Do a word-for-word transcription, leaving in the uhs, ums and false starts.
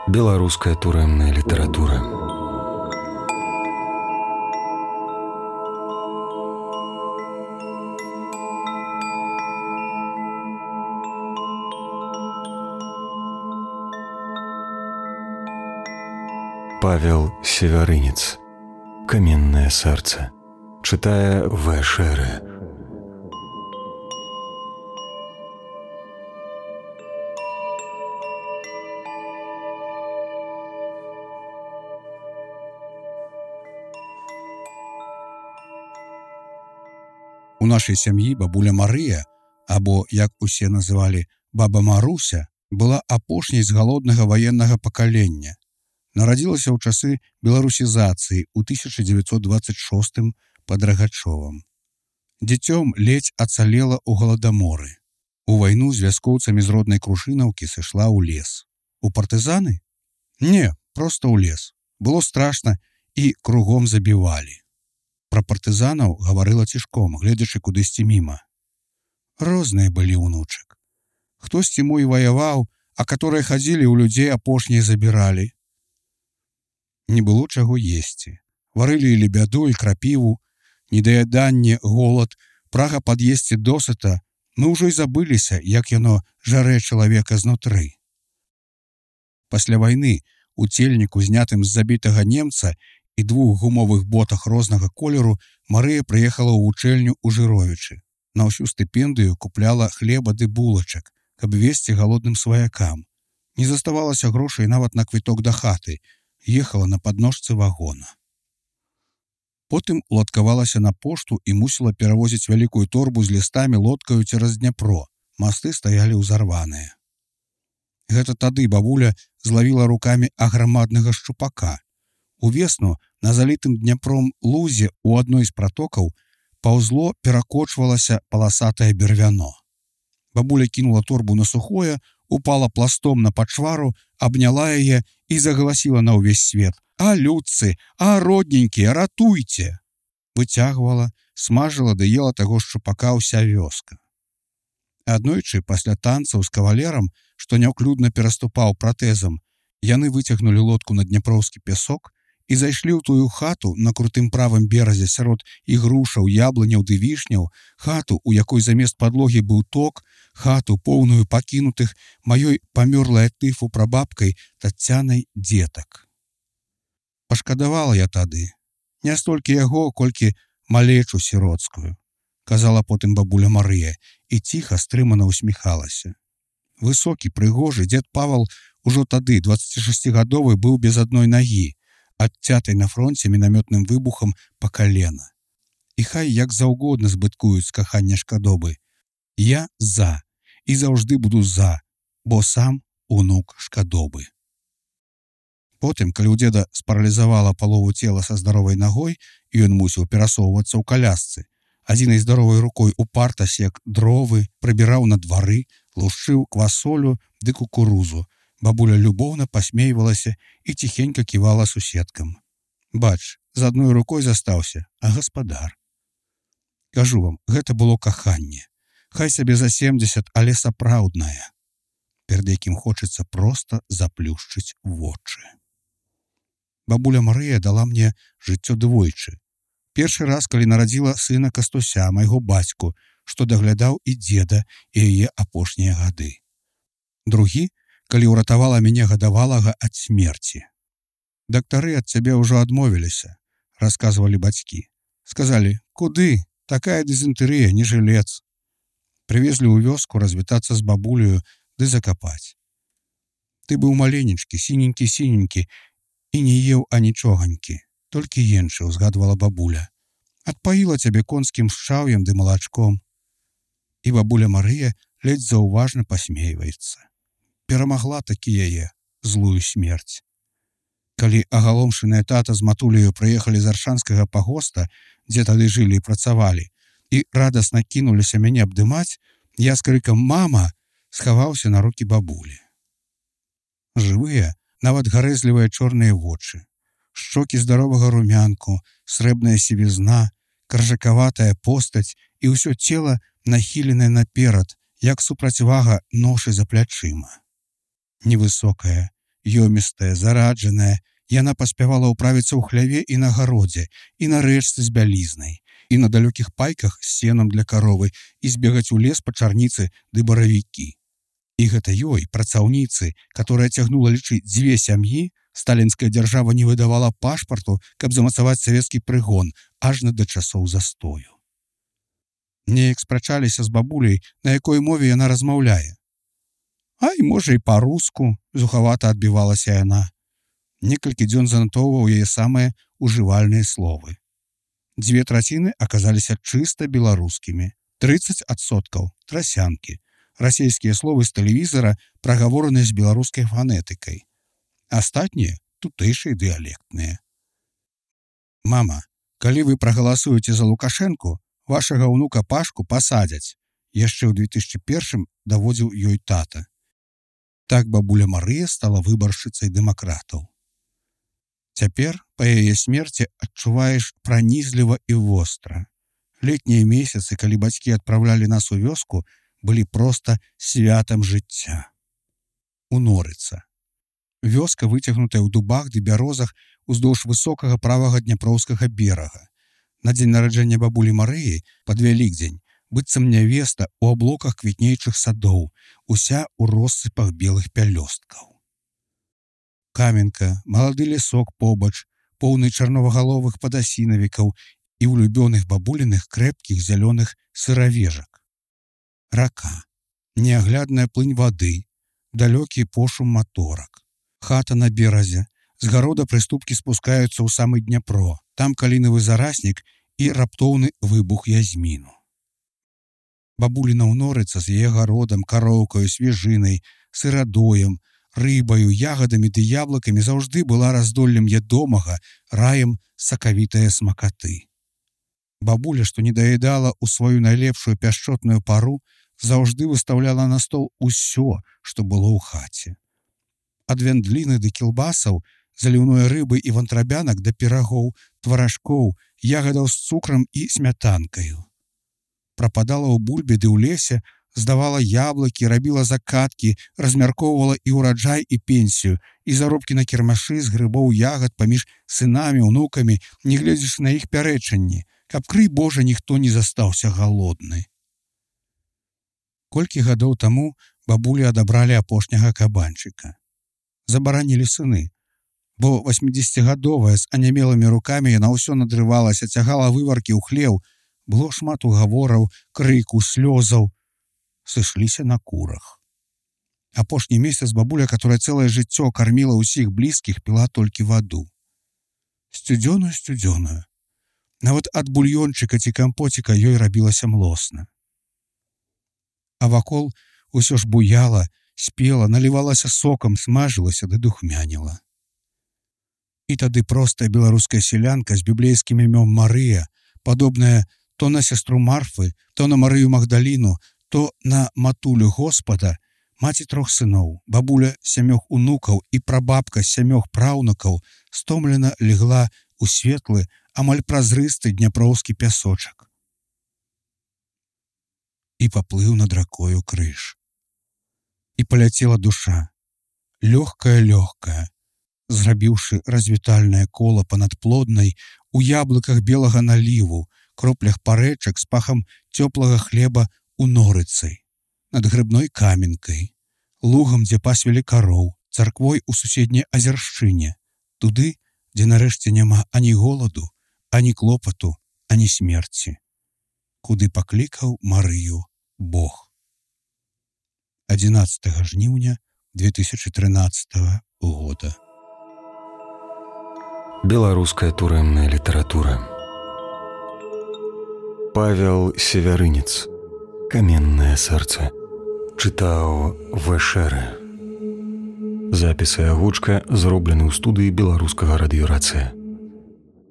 Беларуская турэмная літаратура. Павел Севярынец. Каменное сердце. Читая В. Шеры. У нашай сям'і бабуля Марыя, або, як усе называлі, баба Маруся, была апошняй з галоднага ваеннага пакалення. Нарадзілася ў часы беларусізацыі ў тысяча дзевяцьсот дваццаць шостым пад Рагачовым. Дзіцём ледзь ацалела ў галадаморы. У вайну з вяскоўцамі з роднай Крушынаўкі сышла ў лес. У партызаны? Не, проста ў лес. Было страшна і кругом забівалі. Пра партызанаў гаварыла цішком, гледзячы кудысьці міма. Розныя былі ўнучак. Хтосьці мой ваяваў, а каторыя хадзілі ў людзей апошнія забіралі. Не было чаго есці. Варылі і лебяду, і крапіву, недаяданне, голад, прага пад'есці досыта. Мы ўжо і забыліся, як яно жарэ чалавека знутры. Пасля вайны у цельніку, знятым з забітага немца, і двух гумовых ботах рознага колеру Марыя прыехала ў вучэльню ў Жыровічы. На ўсю стыпендыю купляла хлеба ды булачак, каб весці галодным сваякам. Не заставалася грошай нават на квіток да хаты. Ехала на падножцы вагона. Потым уладкавалася на пошту і мусіла перавозіць вялікую торбу з лістамі лодкаю цераз Дняпро. Масты стаялі ўзарваныя. Гэта тады бабуля злавіла рукамі аграмаднага шчупака. Увесну на залітым Дняпром лузе ў адной з пратокаў паўзло перакочвалася паласатае бервяно. Бабуля кінула торбу на сухое, упала пластом на пачвару, абняла яе і загаласіла на ўвесь свет: «А, людцы, а, родненькія, ратуйце!» Выцягвала, смажыла ды ела таго шчупака ўся вёска. Аднойчы, пасля танцаў з кавалерам, што няўклюдна пераступаў пратэзам, яны выцягнулі лодку на дняпроўскі пясок і зайшлі ў тую хату на крутым правым беразе сярод ігрушаў, яблыняў ды вішняў, хату, у якой замест падлогі быў ток, хату, поўную пакінутых маёй памёрлай ад тыфу прабабкай Таццянай дзетак. Пашкадавала я тады не столькі яго, колькі малечу сіроцкую, казала потым бабуля Марыя і ціха, стрымана усміхалася. Высокі, прыгожы дзед Павал ужо тады, дваццацішасцігадовы, быў без адной нагі, адцятай на фронце мінамётным выбухам па калена. І хай як заўгодна збыткуюць з кахання шкадобы. Я за, і заўжды буду за, бо сам унук шкадобы. Потым, калі ў дзеда спаралізавала палову цела са здаровай нагой, і ён мусіў перасоўвацца ў калясцы, адзінай здаровай рукой упарта сек дровы, прыбіраў на двары, лушчыў квасолю ды кукурузу, бабуля любоўна пасмейвалася і ціхенька ківала суседкам. Бач, з адной рукой застаўся, а гаспадар. Кажу вам, гэта было каханне. Хай сабе за семдзесят, але сапраўднае, перад якім хочацца проста заплюшчыць вочы. Бабуля Марыя дала мне жыццё двойчы. Першы раз, калі нарадзіла сына Кастуся, майго бацьку, што даглядаў і дзеда, і яе апошнія гады. Другі, калі ўратавала мяне гадавалага ад смерці. Дактары ад цябе ўжо адмовіліся, расказвалі бацькі. Сказалі: «Куды? Такая дызентэрыя, не жылец». Прывезлі ў вёску развітацца з бабулею ды закапаць. Ты быў маленечкі, сіненькі-сіненькі, і не еў анічоганькі, толькі енчыў, згадвала бабуля. Адпаіла цябе конскім шчаўем ды малачком. І бабуля Марыя ледзь заўважна пасмейваецца. Перамагла такі яе злую смерць. Калі агаломшаныя тата з матуляю прыехалі з аршанскага пагоста, дзе тады жылі і працавалі, і радасна кінуліся мяне абдымаць, я з крыкам «Мама!» схаваўся на рукі бабулі. Жывыя, нават гарэзлівыя чорныя вочы, шчокі здаровага румянку, срэбная сівізна, каржакаватая постаць і ўсё цела нахіленае наперад, як супрацьвага ношы за плячыма. Невысокая, Ёмістая, зараджаная, яна паспявала ўправіцца ў хляве і на гародзе, і на рэчцы з бялізнай, і на далёкіх пайках з сенам для каровы, і збегаць у лес па чарніцы ды баравікі. І гэта ёй, працаўніцы, которая цягнула лічыць дзве сям'і, сталінская дзяржава не выдавала пашпарту, каб замацаваць савецкі прыгон, ажна да часоў застою. Неяк спрачаліся з бабуляй, на якой мове яна размаўляе. Ай, можа, і па-руску, зухавата адбівалася яна. Некалькі дзён занатоўваў яе самыя ужывальныя словы. Дзве траціны аказаліся чыста беларускімі, трыццаць адсоткаў трасянкі, расійскія словы з тэлевізара, прагавораныя з беларускай фанетыкай. Астатнія тутэйшыя дыялектныя. Мама, калі вы прагаласуеце за Лукашэнку, вашага ўнука Пашку пасадзяць, яшчэ ў две тысячы першым даводзіў ёй тата. Так бабуля Марыя стала выбаршчыцай дэмакратаў. Цяпер, па яе смерці, адчуваеш пранізліва і востра. Летнія месяцы, калі бацькі адпраўлялі нас у вёску, былі проста святам жыцця. Унорыца. Вёска, выцягнутая ў дубах ды бярозах уздоўж высокага правага дняпроўскага берага. На дзень нараджэння бабулі Марыі, пад Вялікдзень, быццам нявеста ў аблоках квітнейчых садоў, уся ў россыпах белых пялёсткаў. Каменка, малады лесок побач, поўны чарновагаловых падасінавікаў і улюбёных бабуліных крэпкіх зялёных сыравежак. Рака, неаглядная плынь вады, далёкі пошум маторак. Хата на беразе, з гарода прыступкі спускаюцца ў самы Дняпро, там калінавы зараснік і раптоўны выбух язміну. Бабуліна ўнорыца з яе гародам, кароўкаю, свежынай, сырадоем, рыбаю, ягадамі ды яблыкамі заўжды была раздоллем ядомага, раем сакавітае смакаты. Бабуля, што не даедала ў сваю найлепшую пяшчотную пару, заўжды выстаўляла на стол усё, што было ў хаце. Ад вяндліны да кілбасаў, заліўной рыбы і вантрабянак да пірагоў, тваражкоў, ягадаў з цукрам і смятанкаю. Прападала ў бульбе ды ў лесе, здавала яблыкі, рабіла закаткі, размяркоўвала і ўраджай, і пенсію, і заробкі на кірмашы з грыбоў ягад паміж сынамі, унукамі, не гледзячы на іх пярэчанні, каб, крый Божа, ніхто не застаўся галодны. Колькі гадоў таму бабулі адабралі апошняга кабанчыка. Забаранілі сыны, бо васьмідзесяцігадовая з анямелымі рукамі яна ўсё надрывалася, цягала вываркі ў хлеў, было шмат угавораў, крыку, слёзаў. Сышліся на курах. Апошні месяц бабуля, которая цэлае жыццё карміла ўсіх блізкіх, піла толькі ваду. Сцюдзёную, сцюдзёную. Нават ад бульёнчыка ці кампоціка ёй рабілася млосна. А вакол усё ж буяла, спела, налівалася сокам, смажылася ды духмяніла. І тады простая беларуская селянка з біблейскім імём Марыя, падобная то на сястру Марфы, то на Марыю Магдаліну, то на матулю Господа, маці трох сыноў, бабуля сямёх унукаў і прабабка сямёх праўнукаў стомлена легла ў светлы, амаль празрысты дняпроўскі пясочак. І паплыў над ракою крыж. І паляцела душа, лёгкая-лёгкая, зрабіўшы развітальнае кола панад плоднай, у яблыках белага наліву, кроплях парэчак з пахам цёплага хлеба у норыцай, над грыбной каменкай, лугам, дзе пасвілі кароў, царквой у суседняй азершчыне, туды, дзе нарэшце няма ані голаду, ані клопату, ані смерці, куды паклікаў Марыю Бог. адзінаццатага жніўня две тысячы трынаццатага года. Беларуская турэмная літаратура. Павел Севярынец. «Каменное сердце». Чытаў Вэшэрэ. Запіс і агучка зроблены ў студыі беларускага радыёрацыя.